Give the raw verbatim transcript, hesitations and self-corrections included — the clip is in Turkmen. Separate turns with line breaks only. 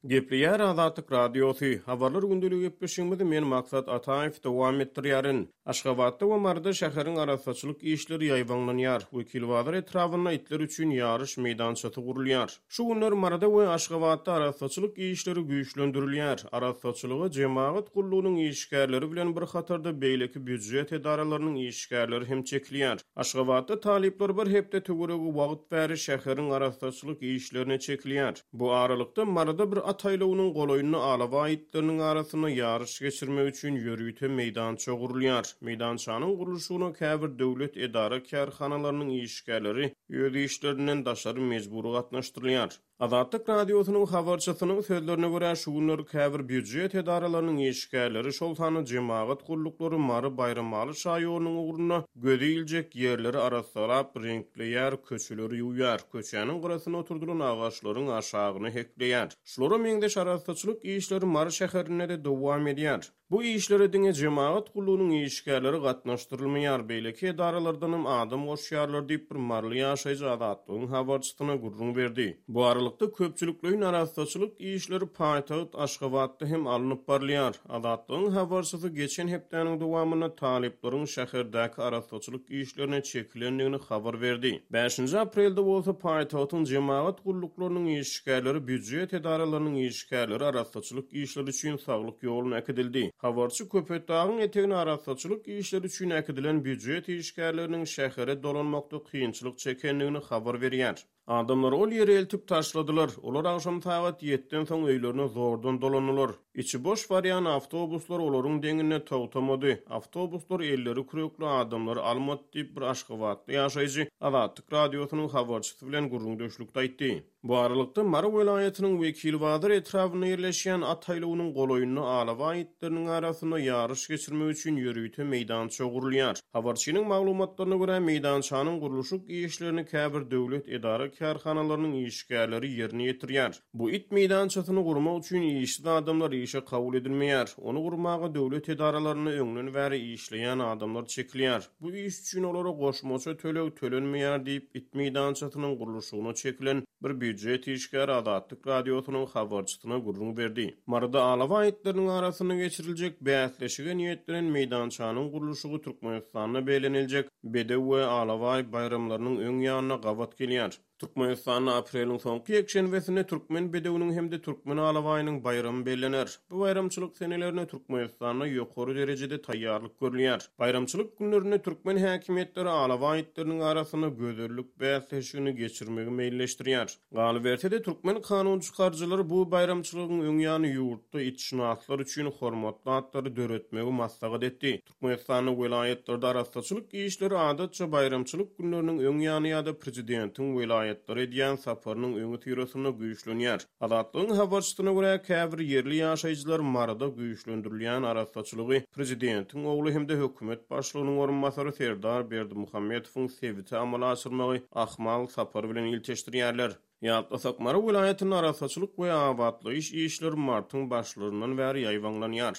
Gepleýär Azatlyk Radiosy. Habarlar gündeligi gepleşigimizi men Maksat Ataýew dowam etdirýärin. Aşgabatda we Maryda şäheriň arassaçylyk işleri ýaýbaňlanýar. Wekilbazar etrabynda itler üçin ýaryş meýdançasy gurulýar. Şu günler Maryda we Aşgabatda arassaçylyk işleri güýçlendirilýär. Arassaçylyga jemagat gullugynyň işgärleri bilen bir hatarda beýleki býujet edaralarynyň işgärleri hem çekilýär. Aşgabatda talyplar bir hepde töweregi wagt bäri şäheriň arassaçylyk işlerine çekilýär. Bu aralykda Maryda bir at aýlawynyň golaýynda alabaý itleriniň arasynda ýaryş geçirmek üçin ýörite meýdança gurulýar. Meýdançanyň gurluşygyna käbir döwlet edara kärhanalarynyň işgärleri öz işlerinden daşary mejbury gatnaşdyrylýar. Azatlyk Radiosynyň habarçysynyň sözlerine görä, şu günler käbir býujet edaralarynyň işgärleri, şol sanda jemagat gulluklary Mary Baýramaly şaýolunyň ugrunda gözi iljek ýerleri arassalap, reňkleýär, köçeleri ýuwýar, köçäniň gyrasyna oturdylan agaçlaryň aşagyny hekleýär. Şulara meňzeş arassaçylyk işleri Mary şäherinde-de dowam edýär. Bu işlere diňe jemagat gullugynyň işgärleri gatnaşdyrylmaýar, beýleki edaralardanam adam goşýarlar diýip bir maryly ýaşaýjy Azatlygyň habarçysyna gürrüň berdi. Bu aralykda köpçülikleýin arassaçylyk işleri paýtagt Aşgabatda hem alnyp barylýar. Azatlygyň habarçysy geçen hepdäniň dowamynda talyplaryň şäherdäki arassaçylyk işlerine çekilendigini habar berdi. Bäşinji aprelde bolsa paýtagtyň jemagat gulluklarynyň işgärleri, býujet edaralarynyň işgärleri arassaçylyk işleri üçin saglyk ýoluna äkidildi. Habarçy Köpetdagyň etegine arassaçylyk işleri üçin äkidilen býujet işgärleriniň şähere dolanmakda kynçylyk çekendigini habar berýär. Adamlar ol ýere eltip taşladylar. Olar agşam sagat ýediden soň öýlerine zordan dolandylar. Içi boş barýan awtobuslar olaryň deňinde togtamady. Awtobuslar elleri kürekli adamlary almady diýip bir aşgabatly ýaşaýjy Azatlyk Radiosynyň habarçysy bilen gürrüňdeşlikde aýtdy. Bu aralykda Mary welaýatynyň Wekilbazar etrabynda ýerleşýän at aýlawynyň golaýynda alabaý itleriniň arasynda ýaryş geçirmek üçin ýörite meýdança gurulýar. Habarçynyň maglumatlaryna görä, meýdançanyň gurluşyk işlerini käbir döwlet edara kärhanalarynyň işgärleri ýerine ýetirýär. Bu it meýdançasyny gurmak üçin işsiz adamlar işe kabul edilmeýär. Ony gurmaga döwlet edaralarynda öňden bäri işleýän adamlar çekilýär. Bu iş üçin olara goşmaça töleg tölenmeýär diýip, it meýdançasynyň gurluşygyna çekilen bir býujet işgäri Azatlyk Radiosynyň habarçysyna gürrüň berdi. Maryda alabaý itleriniň arasynda geçiriljek bäsleşige niýetlenen meýdançanyň gurluşygy Türkmenistanda belleniljek Bedew we alabaý baýramlarynyň öň ýanyna gabat gelýär. Türkmenistanda apreliň soňky ýekşenbesinde türkmen bedewiniň hem-de türkmen alabaýynyň baýramy bellener. Bu baýramçylyk senelerine Türkmenistanda ýokary derejede taýýarlyk görülýär. Baýramçylyk günlerinde türkmen häkimiýetleri alabaý itleriniň arasynda gözellik bäsleşigini geçirmegi meýilleşdirýär. Galyberse-de, türkmen kanunçykaryjylary bu baýramçylygyň öň ýany ýurtda itşynaslar üçin hormatly atlary döretmegi maslahat etdi. Türkmenistanda welaýatlarda arassaçylyk işleri adatça baýramçylyk günleriniň öň ýany ýa-da prezidentiň welaýatlara edýän saparynyň öňüsyrasynda güýçlenýär. Azatlygyň habarçysyna görä, käbir ýerli ýaşaýjylar Maryda güýçlendirilýän arassaçylygy prezidentiň ogly hem-de hökümet başlygynyň orunbasary Serdar Berdimuhametowyň sebite amala aşyrmagy ahmal sapary bilen ilteşdirýärler. Ýatlasak, Mary welaýatynda arassaçylyk we abatlaýyş işleri martyň başlaryndan bäri ýaýbaňlanýar.